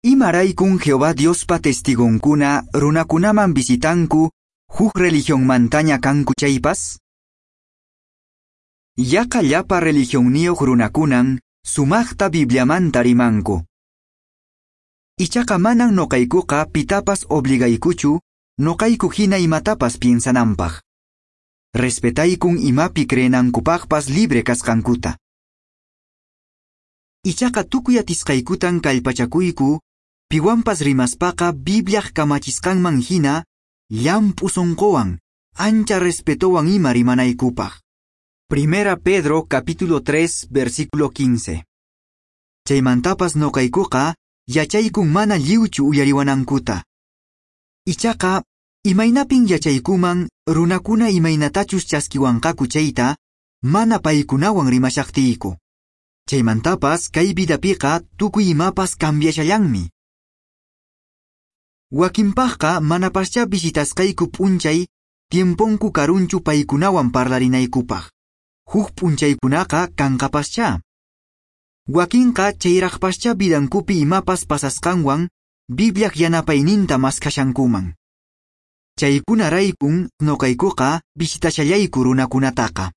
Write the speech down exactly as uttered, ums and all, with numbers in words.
Imaraykun Jehová Diospa testigonkuna runakunaman visitanku huk religionmantaña kanku chaypas? Yaqa llapa religionniyuq runakunan sumaqta Bibliamanta rimanku. Ichaqa manan noqaykuqa pitapas obligaykuchu noqayku hina imatapas piensananpaq. Respetaykun imapi creenankupaqpas libre kasqankuta. Ichaqa tukuy atisqaykutan kallpachakuyku piwanpas rimaspaqa Bibliaq kamachisqanman hina llamp'u sunquwan ancha respetowan ima rimanaykupaq. Primera Pedro capítulo tres versículo quince. Chaymantapas noqaykuqa yachaykun mana lliwchu uyariwanankuta. Ichaqa imaynapin yachaykuman runakuna imaynatachus chaskiwanqaku chayta mana paykunawan rimashaqtiyku. Chaymantapas kay vidapiqa tukuy imapas cambiashallanmi. Wakinpaqqa manapaschá visitasqayku p'unchay tiemponku karunchu paykunawan parlarinaykupaq. Huk p'unchaykunaqa kanqapaschá. Wakinqa chayraqpaschá vidankupi imapas pasasqanwan Bibliaq yanapayninta maskhashankuman. Chaykunaraykun noqaykuqa visitashallayku runakunataqa.